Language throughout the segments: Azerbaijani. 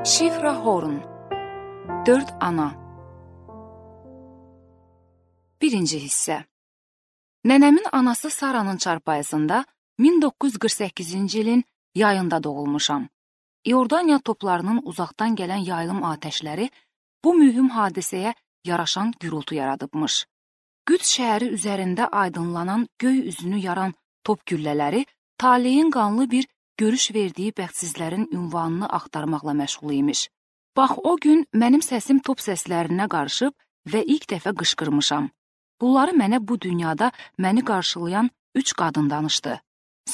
Şifra Horn 4 ana 1-ci hissə. Nənəmin anası Saranın çarpayısında 1948-ci ilin yayında doğulmuşam. İordaniya toplarının uzaqdan gələn yayılım atəşləri bu mühüm hadisəyə yaraşan gürültü yaradıbmış. Qüds şəhəri üzərində aydınlanan göy üzünü yaran top güllələri taleyin qanlı bir görüş verdiyi bəxtsizlərin ünvanını axtarmaqla məşğul imiş. Bax, o gün mənim səsim top səslərinə qarışıb və ilk dəfə qışqırmışam. Bunları mənə bu dünyada məni qarşılayan 3 qadın danışdı.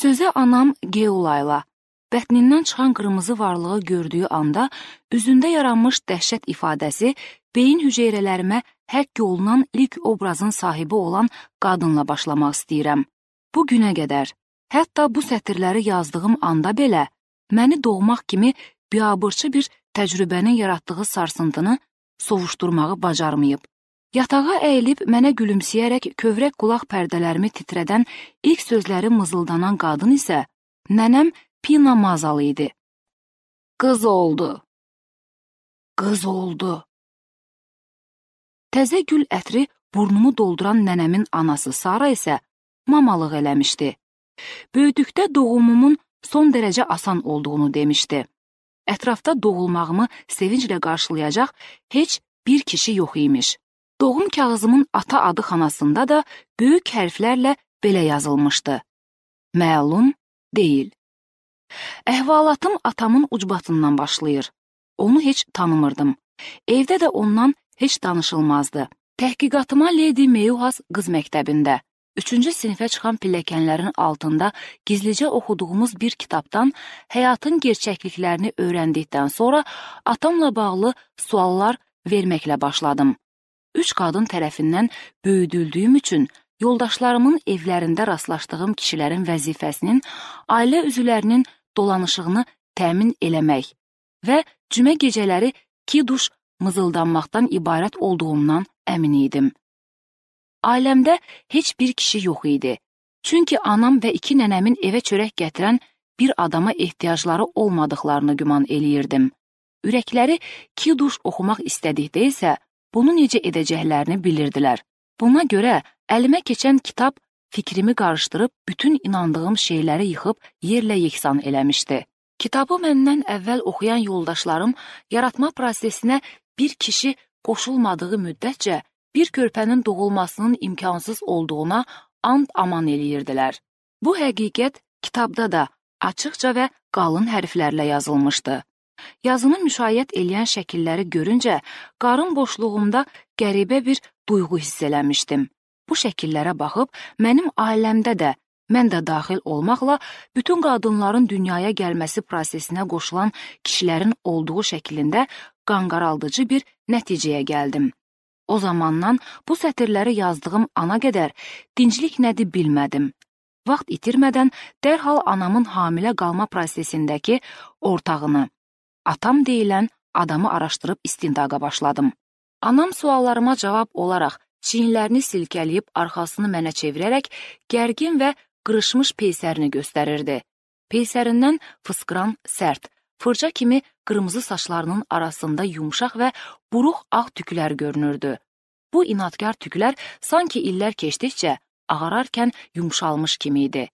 Sözə anam Geulayla, bətnindən çıxan qırmızı varlığı gördüyü anda üzündə yaranmış dəhşət ifadəsi beyin hüceyrələrimə həkk olunan ilk obrazın sahibi olan qadınla başlamaq istəyirəm. Bu günə qədər, hətta bu sətirləri yazdığım anda belə, məni doğmaq kimi biabırçı bir təcrübənin yaratdığı sarsıntını sovuşdurmağı bacarmayıb. Yatağa əyilib mənə gülümsəyərək kövrək qulaq pərdələrimi titrədən ilk sözləri mızıldanan qadın isə nənəm Pina Mazalı idi. Qız oldu. Qız oldu. Təzə gül ətri burnumu dolduran nənəmin anası Sara isə mamalıq eləmişdi. Böyüdükdə doğumumun son dərəcə asan olduğunu demişdi. Ətrafda doğulmağımı sevinclə qarşılayacaq heç bir kişi yox imiş. Doğum kağızımın ata adı xanasında da böyük hərflərlə belə yazılmışdı. Məlum deyil. Əhvalatım atamın ucbatından başlayır. Onu heç tanımırdım. Evdə də ondan heç danışılmazdı. Təhqiqatıma Lady Meyuhas qız məktəbində, 3-cü sinifə çıxan pilləkənlərin altında gizlicə oxuduğumuz bir kitabdan həyatın gerçəkliklərini öyrəndikdən sonra atamla bağlı suallar verməklə başladım. 3 qadın tərəfindən böyüdüldüyüm üçün yoldaşlarımın evlərində rastlaşdığım kişilərin vəzifəsinin ailə üzvlərinin dolanışığını təmin eləmək və cümə gecələri kiduş mızıldanmaqdan ibarət olduğumdan əmin idim. Ailəmdə heç bir kişi yox idi. Çünki anam və 2 nənəmin evə çörək gətirən bir adama ehtiyacları olmadıqlarını güman eləyirdim. Ürəkləri kiduş oxumaq istədikdə isə bunu necə edəcəklərini bilirdilər. Buna görə əlimə keçən kitab fikrimi qarışdırıb bütün inandığım şeyləri yıxıb yerlə yeksan eləmişdi. Kitabı məndən əvvəl oxuyan yoldaşlarım yaratma prosesinə bir kişi qoşulmadığı müddətcə bir körpənin doğulmasının imkansız olduğuna and aman eləyirdilər. Bu həqiqət kitabda da açıqca və qalın hərflərlə yazılmışdı. Yazını müşayiət eləyən şəkilləri görüncə, qarın boşluğumda qəribə bir duyğu hiss eləmişdim. Bu şəkillərə baxıb, mənim ailəmdə də, mən də daxil olmaqla, bütün qadınların dünyaya gəlməsi prosesinə qoşulan kişilərin olduğu şəklində qanqaraldıcı bir nəticəyə gəldim. O zamandan bu sətirləri yazdığım ana qədər dinclik nədir bilmədim. Vaxt itirmədən dərhal anamın hamilə qalma prosesindəki ortağını, atam deyilən adamı araşdırıb istintaqa başladım. Anam suallarıma cavab olaraq çiyinlərini silkələyib arxasını mənə çevirərək gərgin və qırışmış peysərini göstərirdi. Peysərindən fıskıran sərt, fırça kimi qırmızı saçlarının arasında yumşaq və buruq ağ tüklər görünürdü. Bu inadkar tüklər sanki illər keçdikcə ağararkən yumşalmış kimi idi.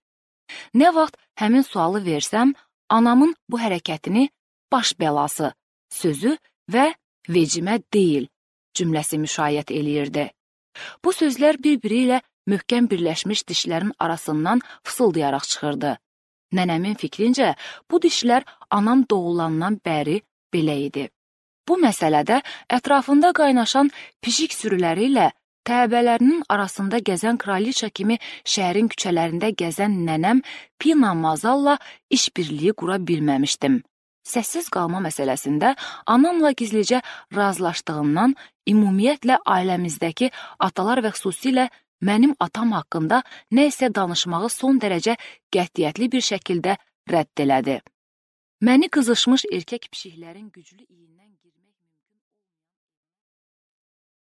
Nə vaxt həmin sualı versəm, anamın bu hərəkətini baş bəlası, sözü və vecimə deyil cümləsi müşayiət eləyirdi. Bu sözlər bir-biri ilə möhkəm birləşmiş dişlərin arasından fısıldayaraq çıxırdı. Nənəmin fikrincə, bu dişlər anam doğulandan bəri belə idi. Bu məsələdə ətrafında qaynaşan pişik sürüləri ilə təbələrinin arasında gəzən kraliça kimi şəhərin küçələrində gəzən nənəm Pina Mazalla işbirliyi qura bilməmişdim. Səssiz qalma məsələsində anamla gizlicə razılaşdığımdan ümumiyyətlə ailəmizdəki atalar və xüsusilə mənim atam haqqında nə isə danışmağı son dərəcə qətiyyətli bir şəkildə rədd elədi. Məni qızışmış erkək pişiklərin güclü iyindən girmək